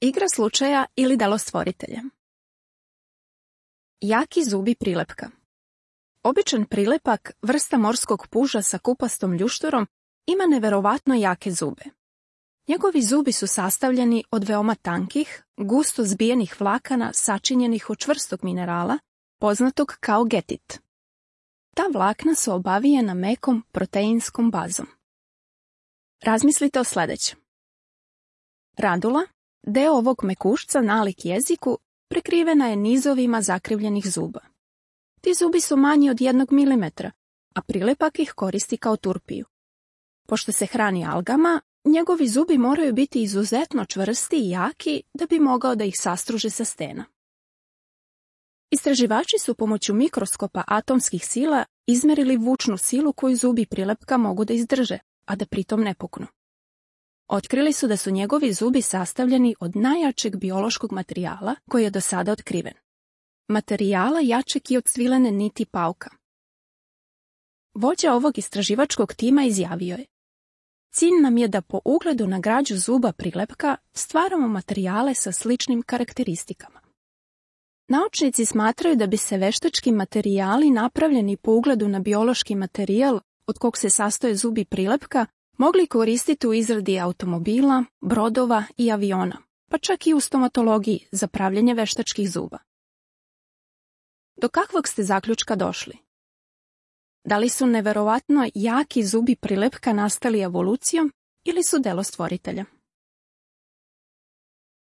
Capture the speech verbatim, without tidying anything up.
Igra slučaja ili delo stvoritelja. Jaki zubi prilepka. Običan prilepak, vrsta morskog puža sa kupastom ljušturom, ima neverovatno jake zube. Njegovi zubi su sastavljeni od veoma tankih, gusto zbijenih vlakana sačinjenih od čvrstog minerala, poznatog kao getit. Ta vlakna su obavijena mekom proteinskom bazom. Razmislite o sljedećem. Radula, deo ovog mekušca nalik jeziku, prekrivena je nizovima zakrivljenih zuba. Ti zubi su manji od jednog milimetra, a prilepak ih koristi kao turpiju. Pošto se hrani algama, njegovi zubi moraju biti izuzetno čvrsti i jaki da bi mogao da ih sastruže sa stena. Istraživači su pomoću mikroskopa atomskih sila izmerili vučnu silu koju zubi prilepka mogu da izdrže, a da pritom ne puknu. Otkrili su da su njegovi zubi sastavljeni od najjačeg biološkog materijala koji je do sada otkriven. Materijala jačeg i od svilene niti pauka. Vođa ovog istraživačkog tima izjavio je: cilj nam je da po ugledu na građu zuba prilepka stvaramo materijale sa sličnim karakteristikama. Naučnici smatraju da bi se veštački materijali napravljeni po ugledu na biološki materijal od kog se sastoje zubi prilepka mogli koristiti u izradi automobila, brodova i aviona, pa čak i u stomatologiji za pravljenje veštačkih zuba. Do kakvog ste zaključka došli? Da li su neverovatno jaki zubi prilepka nastali evolucijom ili su delo stvoritelja?